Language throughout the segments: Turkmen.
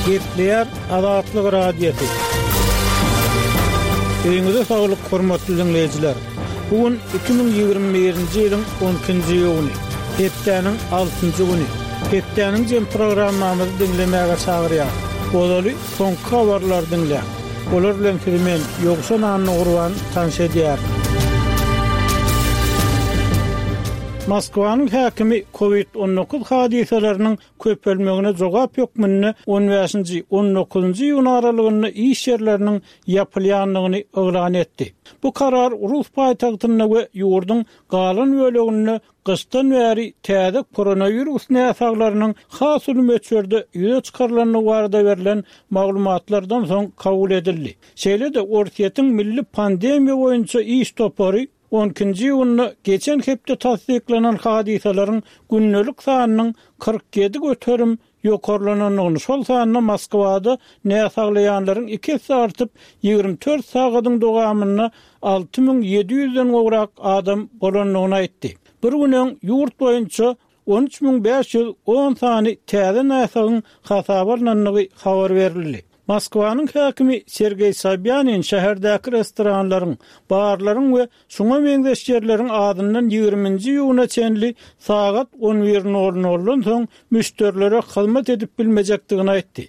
Gepleýär Azatlyk Radiosy. Öýüňize saglyk, hormatly diňleýjiler! Bu gün 2021-nji ýylyň on ikinji iýuny, hepdäniň altynjy güni. Hepdäniň jem programmamyzy diňlemäge çagyrýarys. Ozaly soňky habarlary diňläň. Olar bilen sizi men, Ýowşan Annagurban, tanyş edýärin. Moskwanyň häkimi Covid 19 hadysalarynyň köpelmegine jogap hökmünde on bäşinji, on dokuzynjy iýun aralygynda iş ýerleriniň ýapylýandygyny yglan etdi. Bu karar rus paýtagtynda we ýurduň galan böleginde gyşdan bäri täze koronawirus näsaglarynyň has uly möçberde ýüze çykarylandygy barada berlen maglumatlardan soň kabul edildi. Şeýle-de Orsýetiň Milli pandemiýa boýunça iş topary On ikinji iýunda geçen hepde tassyklanan hadysalaryň gündelik sanynyň 47% ýokarlanandygyny, şol sanda Moskwada näsaglaýanlaryň iki esse artyp, 24 sagadyň dowamynda 6700 den gowrak adam bolandygyny aýtdy. Bir gün öň ýurt boýunça 13 510 sany täze näsagyň hasaba alnandygy habar berildi. Moskwanyň häkimi Sergeý Sobýanin şäherdäki restoranlaryň, barlaryň we şuňa meňzeş ýerleriň azyndan ýigriminji iýuna çenli sagat on bir nol noldan soň müşderilere hyzmat edip bilmejekdigini aýtdy.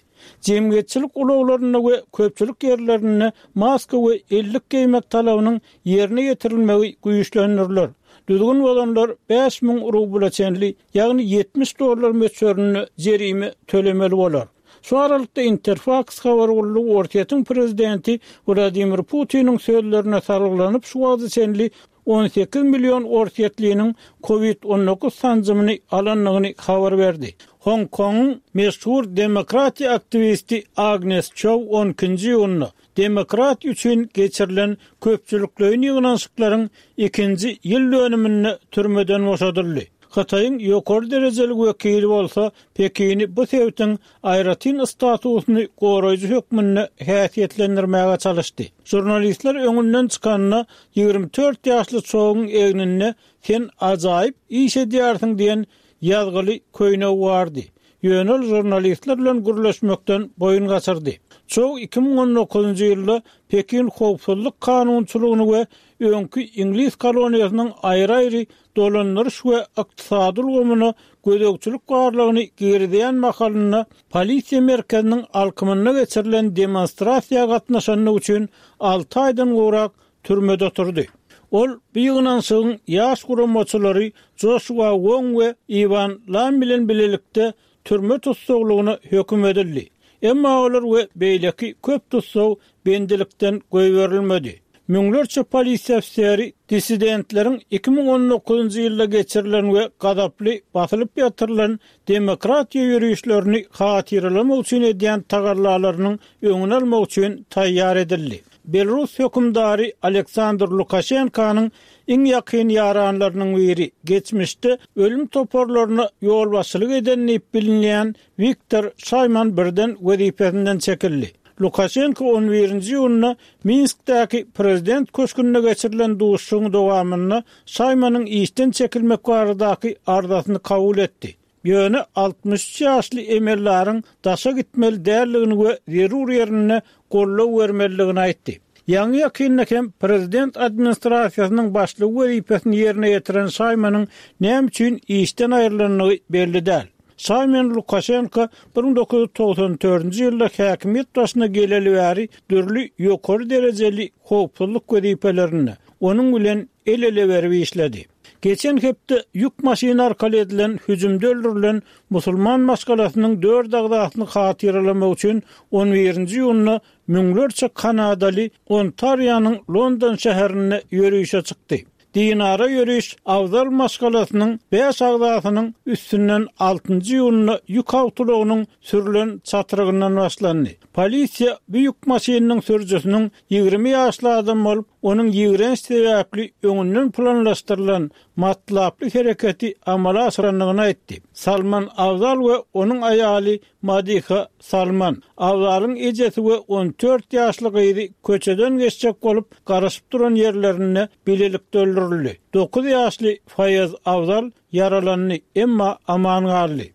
Jemgyýetçilik ulaglarynda we köpçülik ýerlerinde maska we ellik geýmek talabynyň ýerine ýetirilmegi güýçlendiriler. Düzgün bozanlar 5000 rubla çenli, ýagny 70 dollar möçberinde jerime tölemeli bolar. Şu aralykda Interfaks habar gullugy Orsýetiň prezidenti Wladimir Putiniň sözlerine salgylanyp, şu wagta çenli 18 million orsýetliniň Covid 19 sanjymyny alandygyny habar berdi. Hong Kongyň meşhur demokratiýa aktiwisti Agnes Çou on ikinji iýunda Demokratiýa üçin geçirilen köpçülikleýin ýygnanyşyklaryň ikinji ýyl dönüminde türmeden boşadyldy. Hytaýyň ýokary derejeli wekili bolsa Pekini bu sebitiň aýratyn statusyny goraýjy hökmünde häsiýetlendirmäge çalyşdy. Žurnalistler öňünden çykanda 24 ýaşly Çouň egninde Sen ajaýyp iş edýärsiň diýen ýazgyly köýnegi bardy. Ýöne ol žurnalistler bilen gürleşmekden boýun gaçyrdy. Çou 2019-njy ýylda Pekin howpsuzlyk kanunçylygyny we öňki iňlis koloniýasynyň aýry-aýry dolandyryş we ykdysady ulgamyna gözegçilik barlagyny girizýän mahalynda polisiýa merkeziniň alkymynda geçirilen demonstrasiýa gatnaşandygy üçin alty aýdan gowrak türmede oturdy. Ol bu ýygnanyşygyň ýaş guramaçylary Joşua Wong we Iwan Lam bilen bilelikde türme tussaglygyna höküm edildi. Emma olar we beýleki köp tussag bendilikden goýberilmedi. Müňlerçe polisiýa ofiseri dissidentleriň 2019-njy ýylda geçirilen we gazaply basylyp ýatyrylan demokratiýa ýörişlerini hatyralamak üçin edýän tagallalarynyň öňüni almak üçin taýýar edildi. Belarus hökümdary Aleksandr Lukaşenkanyň iň ýakyn ýaranlarynyň biri, geçmişde ölüm toparlaryna ýolbaşçylyk eden diýip bilinýän Wiktor Şaýman birden wezipesinden çekildi. Lukaşenko on birinji iýunda Minskdäki prezident köşgünde geçirilen duşuşygyň dowamynda Şaýmanyň işden çekilmek baradaky arzasyny kabul etdi. Ýöne 63 ýaşly emeldaryň daşa gitmeli däldigini we zerur ýerinde goldaw bermelidigini aýtdy. Ýaňy-ýakynda hem prezident administrasiýasynyň başlygy wezipesini ýerine ýetiren Şaýmanyň näme üçin işden aýrylandygy belli däl. Şaýman Lukaşenko 1994-nji ýylda häkimiýet başyna geleli bäri dürli ýokary derejeli howpsuzlyk wezipelerinde onuň bilen el-ele berip işledi. Geçen hepde ýük maşyny arkaly edilen hüjümde öldürilen musulman maşgalasynyň dört agzasyny hatyralamak üçin on birinji iýunda müňlerçe kanadaly Ontarionyň London şäherinde ýörişe çykdy. Dinara ýöriş Afzal maşgalasynyň bäş agzasynyň üstünden altynjy iýunda ýük awtoulagynyň sürlen çatrygyndan başlandy. Polisiýa bu ýük maşynynyň sürüjisiniň 20 ýaşly adam bolup, onuň ýigrenç sebäpli öňünden planlaşdyrylan matlaply hereketi amala aşyrandygyny aýtdy. Salman Afzal we onuň aýaly Madiha Salman, Afzalyň ejesi we 14 ýaşly gyzy köçeden geçjek bolup garaşyp duran ýerlerinde bilelikde öldürildi. Dokuz ýaşly Faýaz Afzal ýaralandy, emma aman galdy.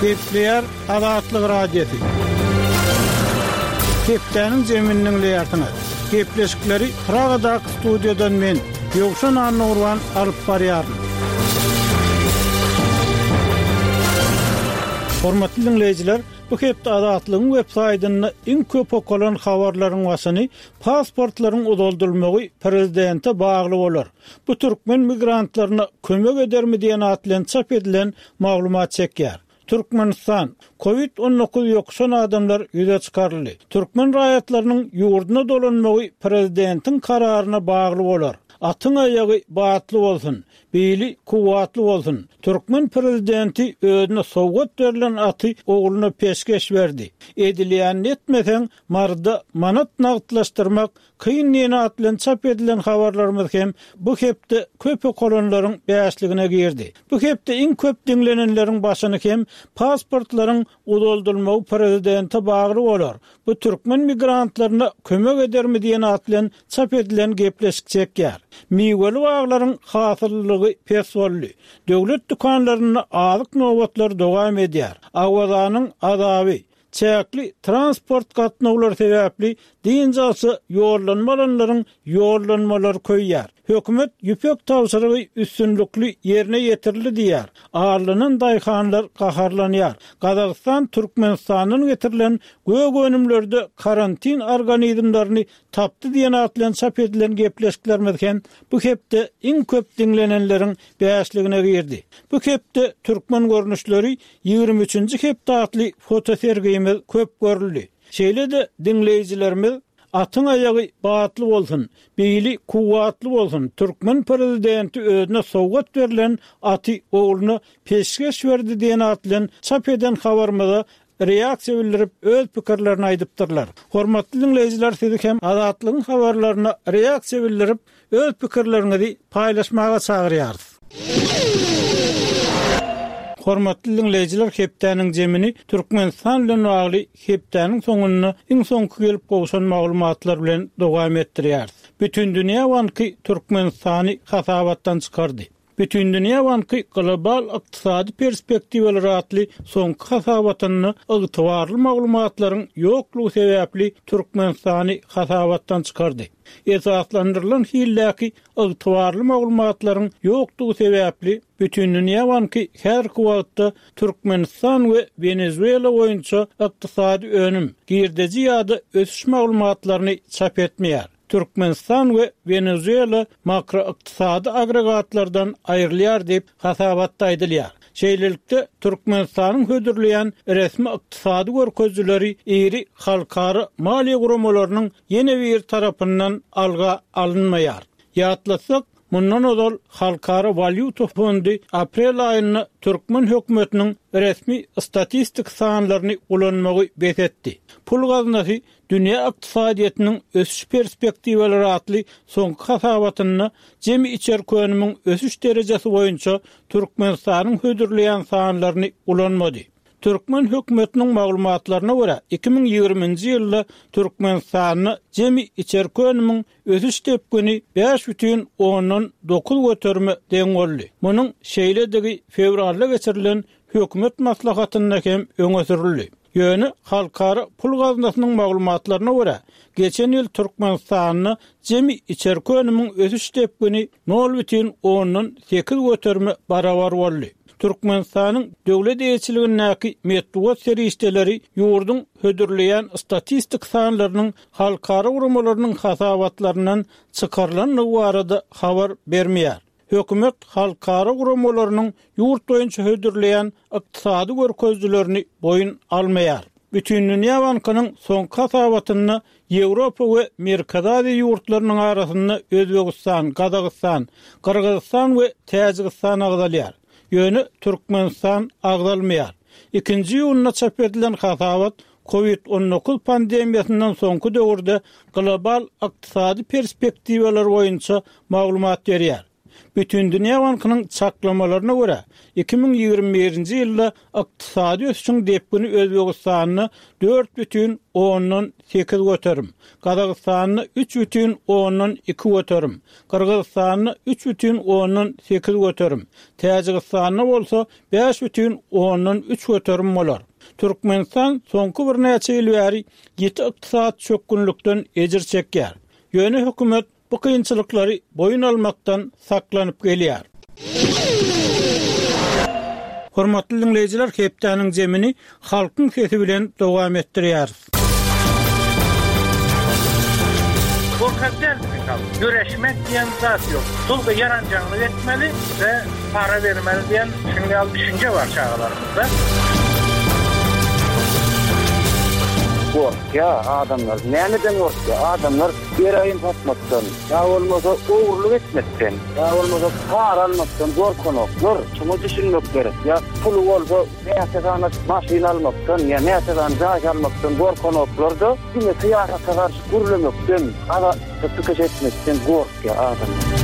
Gepleýär Azatlyk Radiosy. Hepdäniň jemini diňleýärsiňiz. Gepleşikleri Pragadaky studiýadan men, Ýowşan Annagurban alyp barýaryn. Hormatly diňleýjiler, bu hepde Azatlygyň web saýtynda iň köp okalan habarlaryň başyny pasportlaryň uzaldylmagy prezidente bagly bolar, bu türkmen migrantlaryna kömek edermi diýen at bilen çap edilen maglumat çekýär. Türkmenistan, Covid 19 ýokuşan adamlar ýüze çykaryldy. Türkmen raýatlarynyň ýurduna dolanmagy prezidentiň kararyna bagly bolar. Atyň aýagy batly bolsun, bili kuwwatly bolsun. Türkmen prezidenti özüne sowgat berlen aty ogluna peşgeş berdi. Edilýänini etmeseň, Maryda manat nagtlaşdyrmak Kyn diýen at bilen çap edilen habarlarymyz hem bu hepde köp okalanlaryň bäşligine girdi. Bu hepde iň köp diňlenenleriň başyny hem pasportlaryň uzaldylmagy prezidente bagly bolar, bu türkmen migrantlaryna kömek edermi diýen at bilen çap edilen gepleşik çekýär. Miweli baglaryň hasyllylygy pes boldy. Döwlet dükanlarynda azyk nobatlary dowam edýär. Awazanyň azaby, Çäkli transport gatnawlary sebäpli dynç alşa ýollanma alanlaryň ýollanmalary köýýär. Hökümet ýüpek tabşyrygy üstünlikli ýerine ýetirildi diýýär. Aldanan daýhanlar gaharlanýar. Gazagystan Türkmenistandan getirilen gök önümlerde karantin organizmlerini tapdy diýen at bilen çap edilen gepleşiklerimiz hem bu hepde iň köp diňlenenleriň bäşligine girdi. Bu hepde türkmen görnüşleri 23-nji hepde atly fotosergimiz köp görüldi. Şeýle-de diňleýjilerimiz Atyň aýagy batly bolsun, bili kuwwatly bolsun, türkmen prezidenti özüne sowgat berlen aty ogluna peşgeş berdi diýen at bilen çap eden habarymyza reaksiýa bildirip öz pikirlerini aýdypdyrlar. Hormatly diňleýjiler sizi hem Azatlygyň habarlaryna reaksiýa bildirip öz pikirleriňizi paýlaşmaga çagyrýarys. Hormatly diňleýjiler hepdäniň jemini Türkmenistan bilen bagly hepdäniň soňunda iň soňky gelip gowşan maglumatlar bilen dowam etdirýäris. Bütindünýä banky Türkmenistany hasabatdan çykardy. Bütindünýä banky Global ykdysady perspektiwalar atly soňky hasabatynda ygtybarly maglumatlaryň ýoklugy sebäpli Türkmenistany hasabatdan çykardy. Esaslandyrylan hildäki ygtybarly maglumatlaryň ýokdugy sebäpli Bütindünýä banky häzirki wagtda Türkmenistan we Wenezuela boýunça ykdysady önüm, girdeji ýa-da ösüş maglumatlaryny çap etmeýär. Türkmenistan we Wenezuela makroykdysady agregatlardan aýrylýar diýip, hasabatda aýdylýar. Şeýlelikde, Türkmenistanyň hödürleýän resmi ykdysady görkezijileri iri halkara maliýe guramalarynyň ýene biri tarapyndan alga alynmaýar. Ýatlatsak, mundan ozal Halkara walýuta fondy aprel aýynda türkmen hökümetiniň resmi statistik sanlaryny ulanmagy bes etdi. Pul gaznasy Dünýä ykdysadyýetiniň ösüş perspektiwalary atly soňky hasabatynda jemi içerki önümiň ösüş derejesi boýunça Türkmenistanyň hödürleýän sanlaryny ulanmady. Türkmen hökümetiniň maglumatlaryna görä, 2020-nji ýylda Türkmenistanda jemi içerki önümiň ösüş depgini 5,9 göterime deň boldy. Munuň şeýledigi fewralda geçirilen hökümet maslahatynda hem öňe sürüldi. Ýöne Halkara pul gaznasynyň maglumatlaryna görä, geçen ýyl Türkmenistanda jemi içerki önümiň ösüş depgini nol bütin ondan sekiz göterime barabar boldy. Türkmenistanyň döwlet eýeçiligindäki metbugat serişdeleri ýurduň hödürleýän statistik sanlarynyň halkara guramalarynyň hasabatlaryndan çykarylandygy barada habar bermeýär. Hökümet halkara guramalarynyň ýurt boýunça hödürleýän ykdysady görkezijilerini boýun almaýar. Bütindünýä bankynyň soňky hasabatynda Ýewropa we Merkezi Aziýa ýurtlarynyň arasynda Özbegistan, Gazagystan, Gyrgyzystan we Täjigistan agzalýar. Ýöne Türkmenistan agzalmaýar. Ikinji iýunda çap edilen hasabat Covid 19 pandemiýasyndan soňky döwürde global ykdysady perspektiwalar boýunça maglumat berýär. Bütindünýä bankynyň çaklamalaryna görä, 2021-nji ýylda ykdysady ösüşiň depgini Özbegistanda 4,8 göterim, Gazagystanda 3,2 göterim, Gyrgyzystanda 3,8 göterim, Täjigistanda bolsa 5,3 göterim bolar. Türkmenistan soňky birnäçe ýyl bäri ýiti ykdysady çökgünlikden ejir çekýär. Ýöne hökümet bu kynçylyklary boýun almakdan saklanyp gelýär. Hormatly diňleýjiler, hepdäniň jemini Halkyň sesi bilen dowam etdirýäris. Gorkak däl biziň halk. Göreşmek diýen zat ýok. Tolko ýaranjaňlyk etmeli we para bermeli diýen şunuň ýaly düşünje bar çagalarymyzda. Gorkýa adamlar. Nämeden gorkýa? Adamlar geroin satmakdan, ýa bolmasa ogurlyk etmekden, ýa bolmasa para almakdan gorkanoklar. Şuňa düşünmek gerek. Ýa puly bolsa Näçe sany maşyn almakdan ýa näçe sany jaý salmakdan gorkanoklar-da, diňe syýasata garşy gürlemekden, azatlyk çykyş etmekden gorkýar adamlar.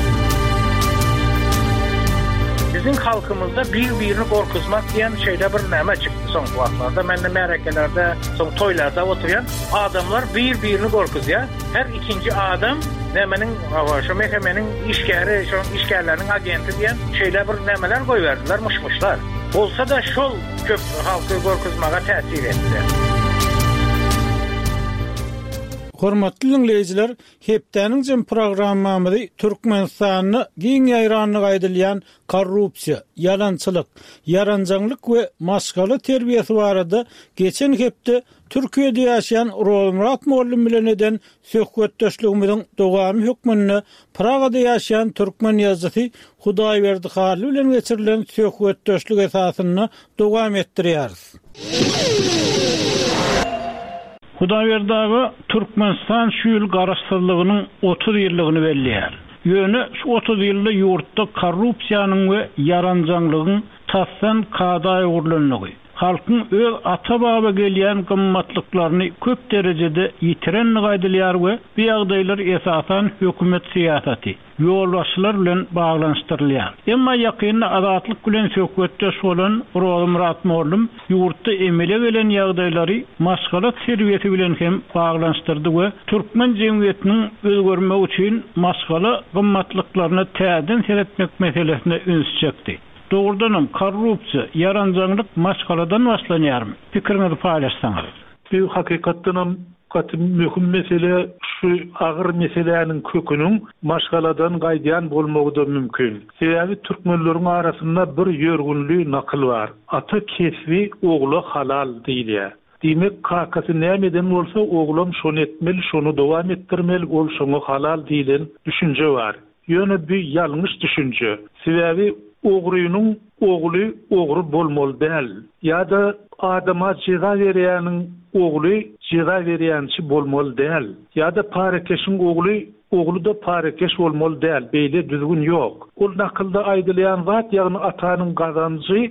Biziň halkymyzda bir-birini gorkuzmak diýen şeýle bir näme çykdy soňky wagtlarda. Men-de märekelerde, soň toýlarda oturýan. Adamlar bir-birini gorkuzýar. Her ikinji adam nämeniň, hawa, şo MHM-niň işgäri, şonuň işgärleriniň agenti diýen şeýle bir nämeler goýberdiler, myş-myşlar. Bolsa-da şol köp halky gorkuzmaga täsir etdi. Hormatly diňleýjiler, hepdäniň jem programmamyzy Türkmenistanda giň ýaýrandygy aýdylýan korrupsiýa, ýalançylyk, ýaranjaňlyk we maşgala terbiýesi barada geçen hepde Türkiýede ýaşaýan Rozmyrat mugallym bilen eden söhbetdeşligimiziň dowamy hökmünde Pragada ýaşaýan türkmen ýazyjysy Hudaýberdi Hally bilen geçirilen söhbetdeşlik esasynda dowam etdirýäris. Hudaýberdi aga, Türkmenistan şu ýyl Garaşsyzlygynyň 30 ýyllygyny belleýär. Ýöne şu 30 ýylda ýurtda korrupsiýanyň we ýaranjaňlygyň tasdan kada öwrülenligi, halkyň öz ata-baba gelýän gymmatlyklaryny köp derejede ýitirendigi aýdylýar we bu ýagdaýlar esasan hökümet syýasaty, ýolbaşçylar bilen baglanyşdyrylýar. Emma ýakynda Azatlyk bilen söhbetdeş bolan Rozymyrat mollum ýurtda emele gelen ýagdaýlary maşgala terbiýesi bilen hem baglanyşdyrdy we türkmen jemgyýetiniň özgermegi üçin maşgala gymmatlyklaryna täzeden seretmek meselesine üns çekdi. Dogrudanam, korrupsiýa, ýaranjaňlyk maşgaladan başlanýarmy? Pikiriňizi paýlaşsaňyz. Bu hakykatdanam gaty möhüm mesele, şu agyr meseläniň köküniň maşgaladan gaýdýan bolmagy-da mümkin. Sebäbi türkmenleriň arasynda bir ýörgünli nakyl bar, Ata kesbi ogla halal diýilýär. Diýmek, kakasy näme eden bolsa, oglam şony etmeli, şony dowam etdirmeli, ol şoňa halal diýlen düşünje bar. Ýöne bu ýalňyş düşünje. Sebäbi ogrynyň ogly ogry bolmaly däl. Ýa-da adama jeza berýäniň ogly jeza berýänçi bolmaly däl. Ýa-da parakeşiň ogly ogly-da parakeş bolmaly däl. Beýle düzgün ýok. Ol nakylda aýdylýan zat ýagny atanyň gazanjy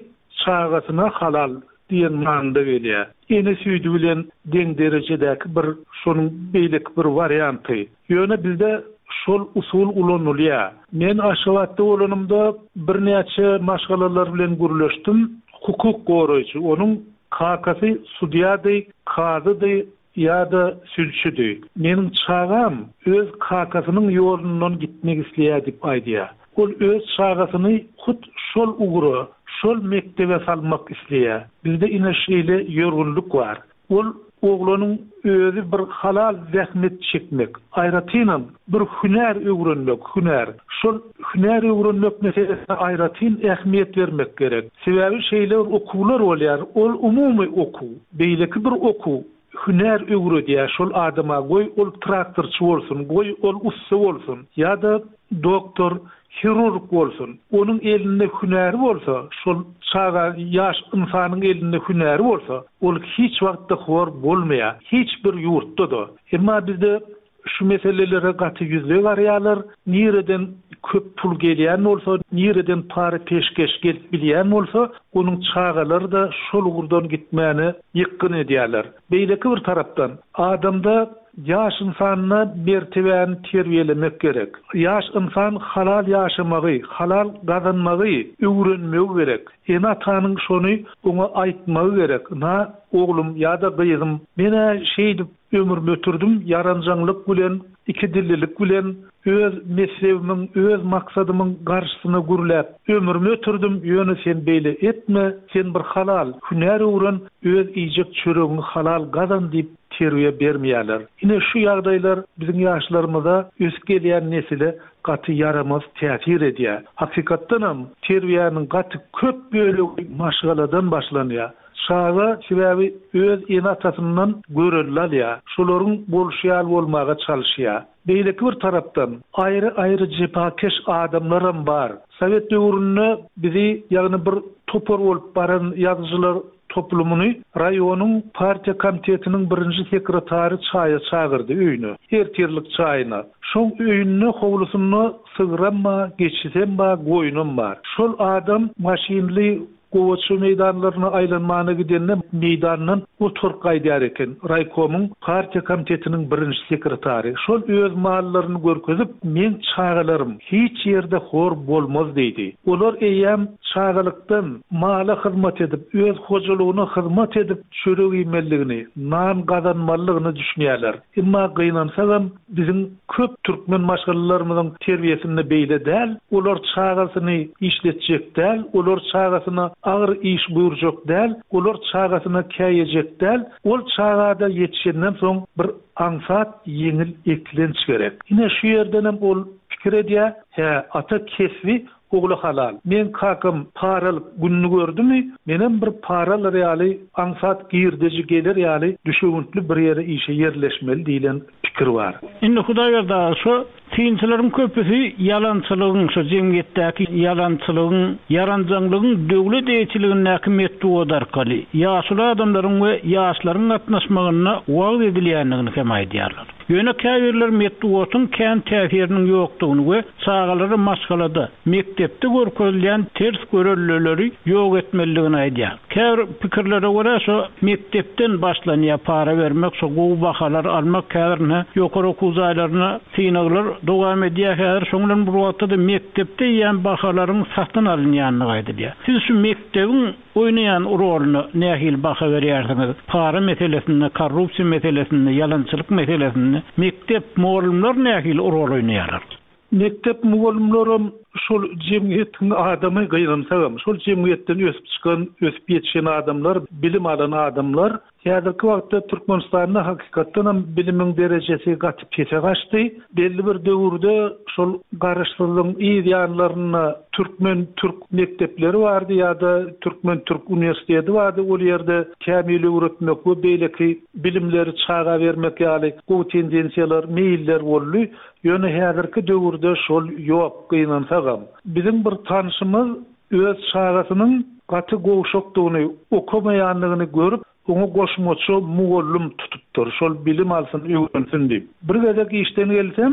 çagasyna halal diýen manyda gelýär. Ene süýdi bilen deň derejedäki bir şonuň beýleki bir warianty. Ýöne bizde şol usul ulanylýar. Men Aşgabatda bolanymda birnäçe maşgalalar bilen gürleşdim. Hukuk goraýjy, onuň kakasy sudýady, kazydy ýa-da sülçüdi. Meniň çagam öz kakasynyň ýolundan gitmek isleýär diýip aýdýar. Ol öz çagasyny hut şol ugra, şol mekdebe salmak isleýär. Bizde ine şeýle ýörgünlik bar. Ol oglanyň özi bir halal zähmet çekmek, aýratynam, bir hünär öwrenmek, hünär. Şol hünär öwrenmek meselesine aýratyn ähmiýet bermek gerek. Sebäbi şeýle bir okuwlar bolýar, ol umumy okuw. Beýleki bir okuw hünär öwredýär şol adama, goý ol traktorçy bolsun, goý ol ussa bolsun ýa-da doktor, Hirurg bolsun. Onuň elinde hünäri bolsa, şol çaga, ýaş ynsanyň elinde hünäri bolsa, ol hiç wagtda hor bolmaýar. Hiç bir ýurtda-da. Emma bizde şu meselelere gaty ýüzleý garaýarlar. Nireden köp pul gelýän bolsa, nireden para-peşgeş gelip bilýän bolsa, onuň çagalary-da şol ugurdan gitmäne ýykgyn edýärler. Beýleki bir tarapdan, adamda. ýaş ynsanda mertebäni terbiýelemek gerek. Ýaş ynsan halal ýaşamagy, halal gazanmagy öwrenmegi gerek. Ene-atanyň şony oňa aýtmagy gerek, Ynha, oglum ýa-da gyzym, men-ä şeýdip ömrümi ötürdim, ýaranjaňlyk bilen, ikidillilik bilen, öz messebimiň, öz maksadymyň garşysyna gürläp, ömrümi ötürdim, ýöne sen beýle etme, sen bir halal hünär öwren, öz iýjek çöregiňi halal gazan diýip terbiýe bermeýärler. Ine şu ýagdaýlar biziň ýaşlarymyza, ösüp gelýän nesile gaty ýaramaz täsir edýär. Hakykatdanam, terbiýäniň gaty köp bölegi maşgaladan başlanýar. Çaga sebäbi öz ene-atasyndan görelde alýar, şolaryň bolşy ýaly bolmaga çalyşýar. Beýleki bir tarapdan, aýry-aýry jepakeş adamlaram bar. Sowet döwründe bizi, ýagny bir topar bolup baran ýazyjylar toplumyny raýonyň partiýa komitetiniň birinji sekretary çaýa çagyrdy öýüne, ertirlik çaýyna. Şoň öýünde howlusynda sygram bar, geçisem bar, goýnam bar. Şol adam maşynly Gowaça meýdanlaryna aýlanmana gidende meýdandan oturyp gaýdýar eken. Raýkomyň partiýa komitetiniň birinji sekretary. Şol öz mallaryny görkezip, Meň çagalarym hiç ýerde hor bolmaz diýdi. Olar eýýäm çagalykdan mala hyzmat edip, öz hojalygyna hyzmat edip çörek iýmelidigini, nan gazanmalydygyna düşünýärler. Emma gynansagam, Biziň köp türkmen maşgalalarymyzyň terbiýesinde beýle däl, olar çagasyny işletjek däl, olar çagasyna agyr iş buýurjak däl, olar çagasyna käýejek däl, ol çagada ýetişenden soň bir aňsat ýeňil eklenç gerek. Ine şu ýerdenem ol pikir edýär, hä, ata kesbi Ogly halal. Meň kakam para alyp gününi gördümi, menem bir para alar ýaly, aňsat girdeji geler ýaly düşewüntli bir ýere işe ýerleşmeli diýlen pikir bar. Indi Hudaýberdi aga, şo synçylaryň köpüsi ýalançylygyň, şo jemgyýetdäki ýalançylygyň, ýaranjaňlygyň döwlet eýeçiligindäki metbugat arkaly, ýaşuly adamlaryň we ýaşlaryň gatnaşmagynda wagyz edilýändigini hem aýdýarlar. Ýöne käbirler metbugatyň kän täsiriniň ýokdugyny we çagalara maşgalada, mekdepde görkezilýän ters göreldeleri ýok etmelidigini aýdýar. Käbir pikirlere görä şo mekdepden başlanýar para bermek, şo gowy bahalar almak häzir ine ýokary okuw jaýlarynda synaglar dowam edýär häzir şoň bilen bir wagtda-da mekdepde eýýäm bahalaryň satyn alynýandygy aýdylýar. Siz şu mekdebiň oýnaýan roluna nähili baha berýärsiňiz? Para meselesinde, korrupsiýa meselesinde, ýalançylyk meselesinde mekdep, mugallymlar nähili rol oýnaýarlar? Mekdep mugallymlaram şol jemgyýetiň adamy, gynansagam, şol jemgyýetden ösüp çykan, ösüp ýetişen adamlar, bilim alan adamlar. Häzirki wagtda Türkmenistanda hakykatdanam bilimiň derejesi gaty pese gaçdy. Belli bir döwürde şol garaşsyzlygyň yz ýanlarynda türkmen-türk mekdepleri bardy ýa-da türkmen-türk uniwersiteti bardy, ol ýerde kämil öwretmek we beýleki bilimleri çaga bermek ýaly gowy tendensiýalar, meýiller boldy. Ýöne häzirki döwürde şol ýok, gynansagam. Biziň bir tanşymyz öz çagasynyň gaty gowşakdygyny, okamaýandygyny görüp, oňa goşmaça mugallym tutupdyr, şol bilim alsyn, öwrensin diýip. Bir gezek işden gelsem,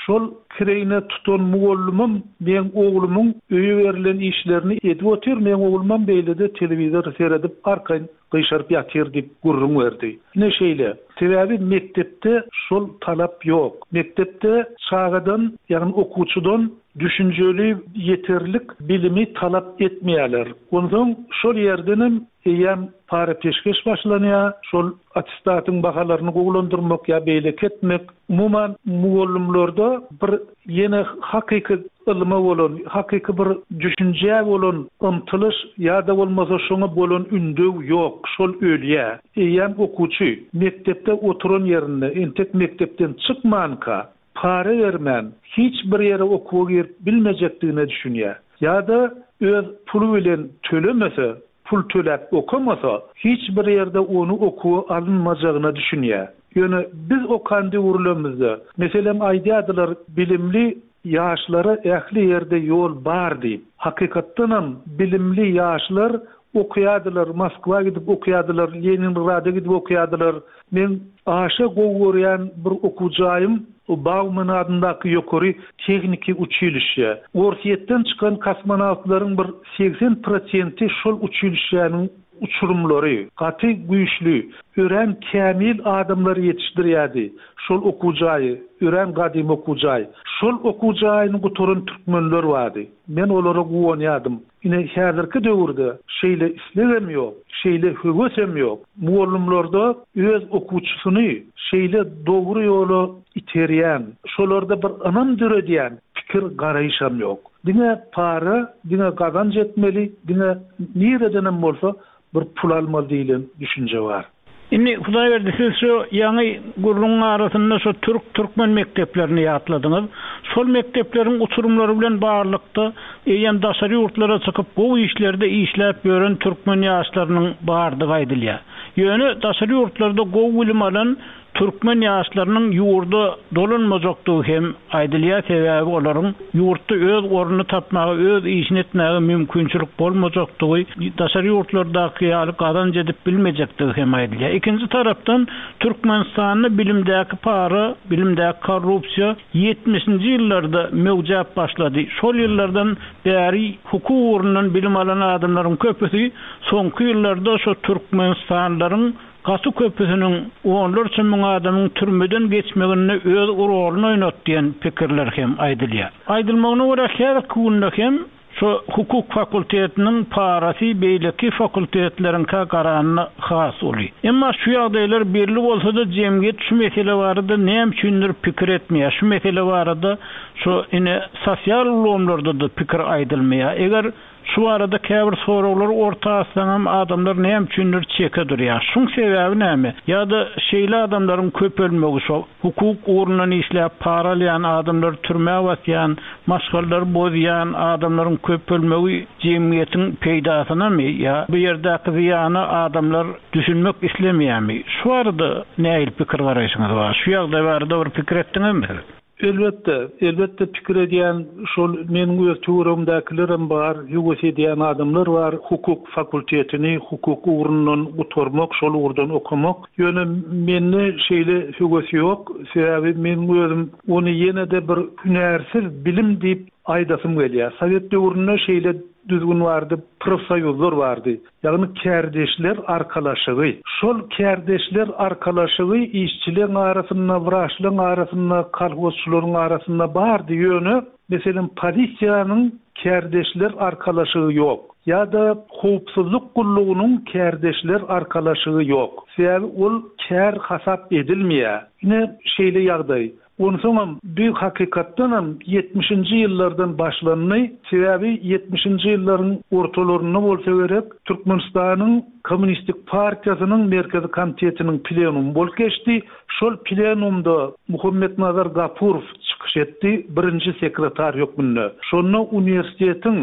şol kireýine tutan mugallymym meň oglumyň öýe berlen işlerini edip otyr, meň oglumam beýlede telewizor seredip arkaýyn gyşaryp ýatyr diýip gürrüň berdi. Ine şeýle. Sebäbi mekdepde şol talap ýok. Mekdepde çagadan, ýagny okuwçydan düşünjeli ýeterlik bilimi talap etmeýärler. Onsoň şol ýerdenem eýýäm para-peşgeş başlanýar, şol attestatyň bahalaryny gowulandyrmak ýa beýleki etmek. Umuman, mugallymlarda bir ýene hakyky ylma bolan, hakyky bir düşünjä bolan ymtylyş ýa-da bolmasa şoňa bolan ündew ýok, şol ölýär. Eýýäm okuwçy mekdepde oturan ýerinde, entek mekdepden çykmanka, para bermän hiç bir ýere okuwa girip bilmejekdigine düşünýär. Ýa-da öz puly bilen tölemese, pul töläp okamasa, hiç bir ýerde ony okuwa alynmajagyna düşünýär. Ýöne biz okan döwürlemizde, meselem, aýdýardylar, bilimli ýaşlara ähli ýerde ýol bar diýip. Hakykatdanam, bilimli ýaşlar okaýardylar, Moskwa gidip okaýardylar, Leningrada gidip okaýardylar. Meň aşa gowy görýän bir okuw jaýym Bauman adyndaky ýokary tehniki uçilişşe. Orsýetden çykan kosmonawtlaryň bir 80 prosenti şol uçilişşäniň. uçurymlary, gaty güýçli, örän kämil adamlary ýetişdirýärdi. Şol okuw jaýy, örän gadymy okuw jaý. Şol okuw jaýyny gutaran türkmenler bardy. Men olara guwanýardym. Ine, häzirki döwürde şeýle islegem ýok, şeýle höwesem ýok. Mugallymlarda öz okuwçysyny şeýle dogry ýola iterýän, şolarda bir ynam döredýän pikir-garaýyşam ýok. Diňe para, diňe gazanç etmeli, diňe niredenem bolsa bir pul almaly diýlen düşünje bar. Indi Hudaýberdi siz şu ýaňy gürrüňiň arasynda şu türk türkmen mekdeplerini ýatladyňyz. Şol mekdepleriň uçurymlary bilen baglylykda eýýäm daşary ýurtlara çykyp gowy işlerde işläp ýören türkmen ýaşlarynyň bardygy aýdylýar. Ýöne daşary ýurtlarda gowy bilim alan Türkmen ýaşlarynyň ýurda dolanmajakdygy hem aýdylýar, sebäbi olaryň ýurtda öz ornuny tapmaga, öz işini etmäge mümkinçilik bolmajakdygy, daşary ýurtlardaky ýaly gazanç edip bilmejekdigi hem aýdylýar. Ikinji tarapdan, Türkmenistanda bilimdäki para, bilimdäki korrupsiýa ýetmişinji ýyllarda möwjäp başlady. Şol ýyllardan bäri hukuk ugrundan bilim alan adamlaryň köpüsi soňky ýyllarda şo türkmenistanlylaryň Gaty köpüsiniň, onlarça müň adamyň türmeden geçmeginde öz roluny oýnat diýen pikirler hem aýdylýar. Aýdylmagyna görä, häzirki günde hem şu hukuk fakultetiniň parasy beýleki fakultetleriňkä garanda has uly. Emma şu ýagdaýlar belli bolsa-da jemgyýet şu mesele barada näme üçindir pikir etmeýär. Şu mesele barada şu ine sosial ulgamlarda-da pikir aýdylmaýar. Eger Şu barada käbir soraglary orta atsaňam adamlar näme üçindir çeke durýar. Şuň sebäbi näme? Ýa-da şeýle adamlaryň köpelmegi şo hukuk ugrundan işläp para alýan adamlary türmä basýan, maşgalalary bozýan adamlaryň köpelmegi jemgyýetiň peýdasynamy ýa bu ýerdäki zyýana adamlar düşünmek islemeýärmi? Şu barada nähili pikir garaýşyňyz bar? Şu ýagdaý barada bir pikir etdiňizmi siz? Elbetde, elbetde pikir edýän şol meniň öz töweregimdäkilerem bar, höwes edýän adamlar bar, hukuk fakultetini hukuk ugrundan gutarmak, şol ugurdan okamak. Ýöne mende şeýle höwes ýok, sebäbi meniň özüm ony ýene-de bir hünärsiz bilim diýip aýdasym gelýär. Sowet döwründe şeýle düzgün bardy, profsoýuzlar bardy. Ýagny kärdeşler arkalaşygy. Şol kärdeşler arkalaşygy işçileň arasynda, wraçlaň arasynda, kolhozçylaryň arasynda bardy, ýöne, meselem, polisiýanyň kärdeşler arkalaşygy ýok. Ýa-da howpsuzlyk gullugynyň kärdeşler arkalaşygy ýok. Sebäbi ol kär hasap edilmeýär. Ine, şeýle ýagdaý. Onsoňam bu hakykatdanam ýetmişinji ýyllardan başlandy. Sebäbi ýetmişinji ýyllaryň ortalarynda bolsa gerek, Türkmenistanyň Kommunistik partiýasynyň Merkezi Komitetiniň plenumy bolup geçdi. Şol plenumda Muhammetnazar Gapurow çykyş etdi, birinji sekretar hökmünde. Şonda uniwersitetiň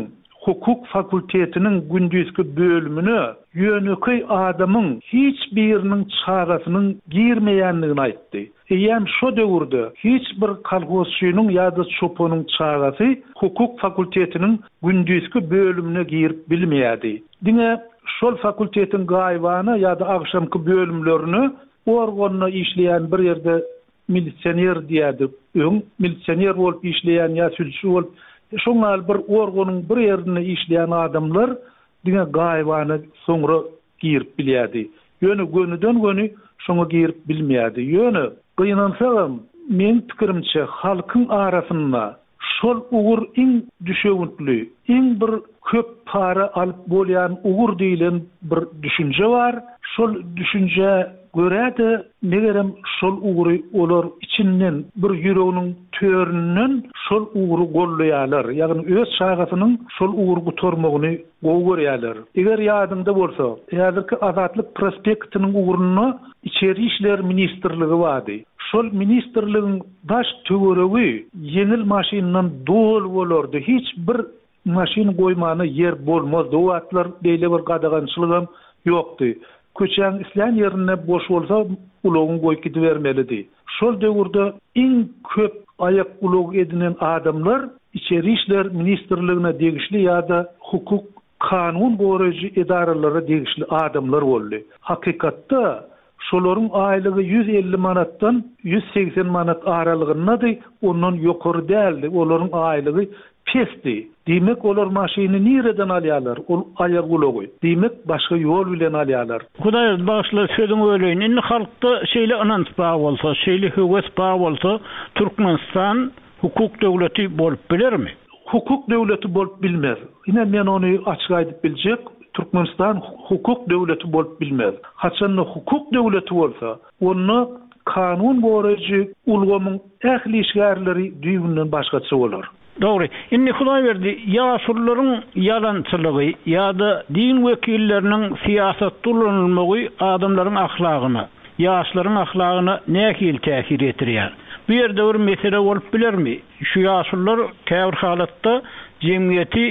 hukuk fakultetiniň gündizki bölümine ýönekeý adamyň hiç biriniň çagasynyň girmeýändigini aýtdy. Eýýäm şo döwürde hiç bir kolhozçynyň ýa-da çopanyň çagasy hukuk fakultetiniň gündizki bölümine girip bilmeýärdi. Diňe şol fakultetiň gaýybana ýa-da agşamky bölümlerine organda işleýän bir ýerde milisioner diýerdik öň, milisioner bolup işleýän ýa sülçi bolup, şoň ýaly bir organyň bir ýerinde işleýän adamlar diňe gaýybana soňra girip bilýärdi. Ýöne gönüden-göni şoňa girip bilmeýärdi. Ýöne, gynansagam, meň pikirimçe, halkyň arasynda şol ugur iň düşewüntli, iň bir köp para alyp bolýan ugur diýlen bir düşünje bar. Şol düşünjä görä-de, megerem, şol ugry olar içinden, bir ýüreginiň töründen şol ugry goldaýarlar. Ýagny öz çagasynyň şol ugry gutarmagyny gowy görýärler. Eger ýadyňda bolsa, häzirki Azatlyk prospektiniň ugrunda Içeri işler ministrligi bardy. Şol ministrligiň daş töweregi ýeňil maşyndan doly bolardy. Hiç bir maşyn goýmana ýer bolmazdy. O wagtlar beýle bir gadagançylygam ýokdy. Köçäň islän ýerinde boş bolsa ulagyňy goýup gidibermelidi. Şol döwürde iň köp aýak ulag edinen adamlar Içeri işler ministrligine degişli ýa-da hukuk kanun goraýjy edaralara degişli adamlar boldy. Hakykatda. Şolaryň aýlygy 150 manatdan 180 manat aralygyndady, ondan ýokary däldi. Olaryň aýlygy pesdi. Diýmek, olar maşyny nireden alýarlar, ol aýagulagy? Diýmek, başga ýol bilen alýarlar. Hudaý bagyşla, sözüňi böleýin. Indi halkda şeýle ynanç bar bolsa, şeýle höwes bar bolsa, Türkmenistan hukuk döwleti bolup bilermi? Hukuk döwleti bolup bilmez. Ine, men ony açyk aýdyp biljek, Türkmenistan hukuk döwleti bolup bilmez. Haçanda hukuk döwleti bolsa, onda kanun goraýjy ulgamyň ähli işgärleri düýbünden başgaça bolar. Dogry. Indi Hudaýberdi, ýaşulularyň ýalançylygy ýa-da din wekilleriniň syýasatda ulanylmagy adamlaryň ahlagyna, ýaşlaryň ahlagyna nähili täsir ýetirýär? Bu ýerde bir mesele bolup bilermi? Şu ýaşulular käbir halatda jemgyýeti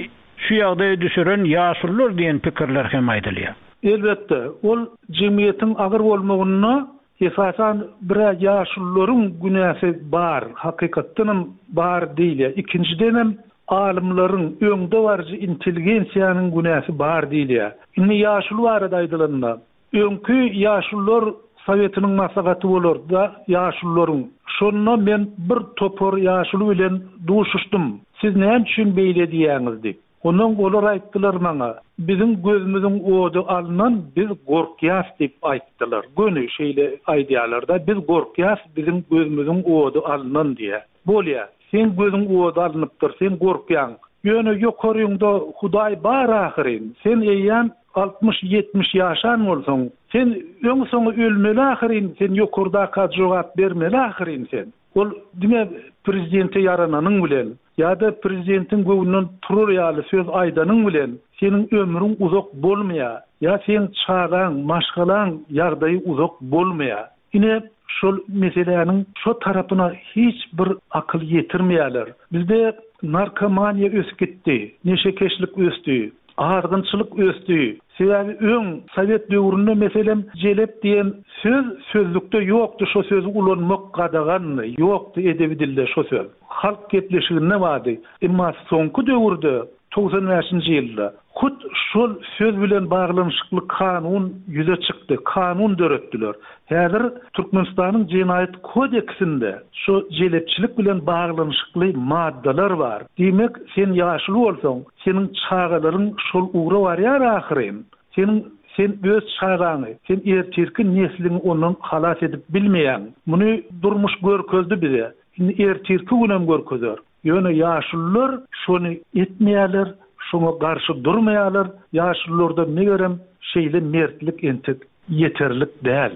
şu ýagdaýa düşüren ýaşulular diýen pikirler hem aýdylýar. Elbetde, ol jemgyýetiň agyr bolmagynda Esasan bir-ä ýaşulularyň günäsi bar, hakykatdanam bar diýilýär. Ikinjidenem alymlaryň, öňdebaryjy intelligensiýanyň günäsi bar diýilýär. Indi ýaşuly barada aýdylanda, öňki ýaşulular sowetiniň maslahaty bolardy-da ýaşulularyň. Şonda men bir topar ýaşuly bilen duşuşdym. Siz näme üçin beýle diýýäňiz diýip. Ondan olar aýtdylar maňa, Biziň gözümiziň ody alnan, biz gorkýas diýip aýtdylar. Göni şeýle aýdýarlar-da, Biz gorkýas, biziň gözümiziň ody alnan diýýär. Bolýa, seň gözüň ody alnypdyr, sen gorkýaň. Ýöne ýokaryňda Hudaý bar ahyryn. Sen eýýäm 60-70 ýaşan bolsaň, sen öň-soňy ölmeli ahyryn, sen ýokardaka jogap bermeli ahyryn sen. Ol diňe prezidente ýarananyň bilen ýa-da prezidentiň göwnünden turar ýaly söz aýdanyň bilen seniň ömrüň uzak bolmaýar ýa seň çagaň, maşgalaň ýagdaýy uzak bolmaýar. Ine, şol meseläniň şo tarapyna hiç bir akyl ýetirmeýärler. Bizde narkomaniýa ösüp gitdi, neşekeşlik ösdi. Azgynçylyk ösdi. Sebäbi öň sowet döwründe meselem jelep diýen söz sözlükde ýokdy şo sözi ulanmak gadagandy ýokdy edebi dilde şo söz. Halk gepleşiginde bardy. Emma soňky döwürde 95-nji ýylda hut şol söz bilen baglanyşykly kanun ýüze çykdy, kanun döretdiler. Häzir Türkmenistanyň Jenaýat kodeksinde şu jelepçilik bilen baglanyşykly maddalar bar. Diýmek, sen ýaşuly bolsaň, seniň çagalaryň şol ugra barýar ahyryn. Seniň sen öz çagaňy, sen ertirki nesliňi ondan halas edip bilmeýäň. Muny durmuş görkezdi bize. Indi ertirki günem görkezer. Ýöne ýaşulular şony etmeýärler, şoňa garşy durmaýarlar. Ýaşulularda megerem şeýle mertlik entek ýeterlik däl.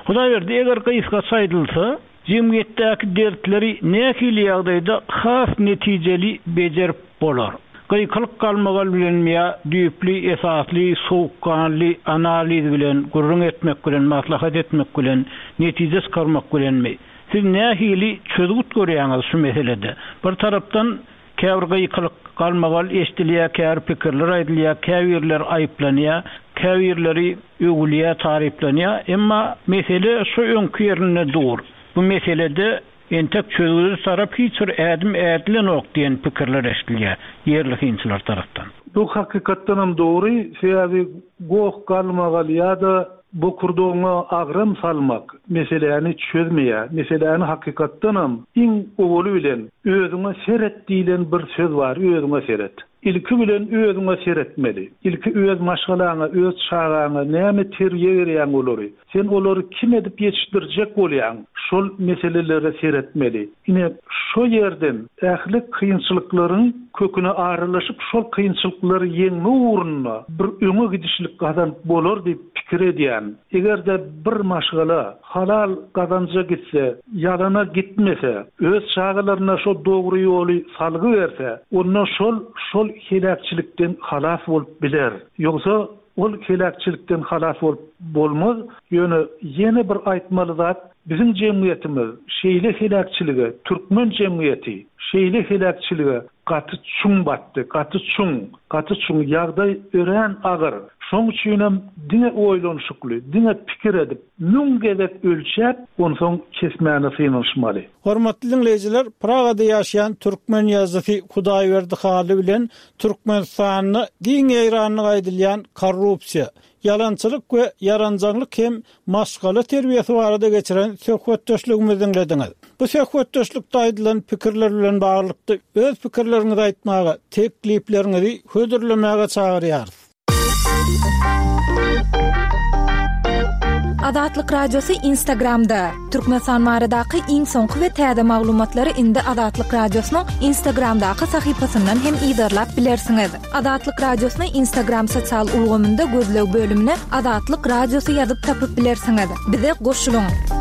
Hudaýberdi, eger gysgaça aýdylsa, jemgyýetdäki dertleri nähili ýagdaýda has netijeli bejerip bolar? Gykylyk galmagal bilenmi ýa düýpli, esasly, sowukganly analiz bilen, gürrüň etmek bilen, maslahat etmek bilen, netije çykarmak bilenmi? Siz nähili çözgüt görýäňiz şu meselede? Bir tarapdan käbir gykylyk, galmagal eşidilýär, käbir pikirler aýdylýar, käbirleri aýyplanýar, käbirleri öwülýär, taryplanýar. Emma mesele şu öňki ýerinde dur. Bu meselede entek çözgüde tarap hiç bir ädim ädilenok diýen pikirler eşidilýär ýerli synçylar tarapdan. Bu hakykatdanam dogry, sebäbi goh-galmagal ýa-da Bokurdagyňa agram salmak meseläni çözmeýär. Meseläni hakykatdanam iň owaly bilen özüňe seret diýlen bir söz bar, özüňe seret. Ilki bilen özüňe seretmeli. Ilki öz maşgalaňa, öz çagaňa näme terbiýe berýäň olary? Sen olary kim edip ýetişdirjek bolýaň? Şol meselelere seretmeli. Ine, şo ýerden ähli kynçylyklaryň köküne aralaşyp, şol kynçylyklary ýeňmek ugrunda bir öňe gidişlik gazanyp bolar diýip pikir edýän. Eger-de bir maşgala halal gazanja gitse, ýalana gitmese, öz çagalaryna şo dogry ýoly salgy berse, onda şol şol heläkçilikden halas bolup biler. Ýogsa Ol heläkçilikden halas bolup bolmaz, ýöne ýene bir aýtmaly zat, biziň jemgyýetimiz şeýle heläkçilige, türkmen jemgyýeti şeýle heläkçilige gaty çuň batdy, gaty çuň, gaty çuň, ýagdaý örän agyr. Şoň üçinem diňe oýlanyşykly, diňe pikir edip, müň gezek ölçäp, onsoň kesmäne synanyşmaly. Hormatly diňleýjiler, Pragada ýaşaýan türkmen ýazyjysy Hudaýberdi Hally bilen Türkmenistanda giň ýaýrandygy aýdylýan korrupsiýa, ýalançylyk we ýaranjaňlyk hem maşgala terbiýesi barada geçiren söhbetdeşligimizi diňlediňiz. Bu söhbetdeşlikde aýdylan pikirler bilen baglylykda öz pikirleriňizi aýtmaga, teklipleriňizi hödürlemäge çagyrýarys. Azatlyk Radiosy Instagramda, Türkmenistan baradaky iň soňky we täze maglumatlary indi Azatlyk Radiosynyň Instagramdaky sahypasyndan hem yzarlap bilersiňiz. Azatlyk Radiosyny Instagram sosial ulgamynda gözleg bölümine Azatlyk Radiosy ýazyp tapyp bilersiňiz. Bize goşulyň!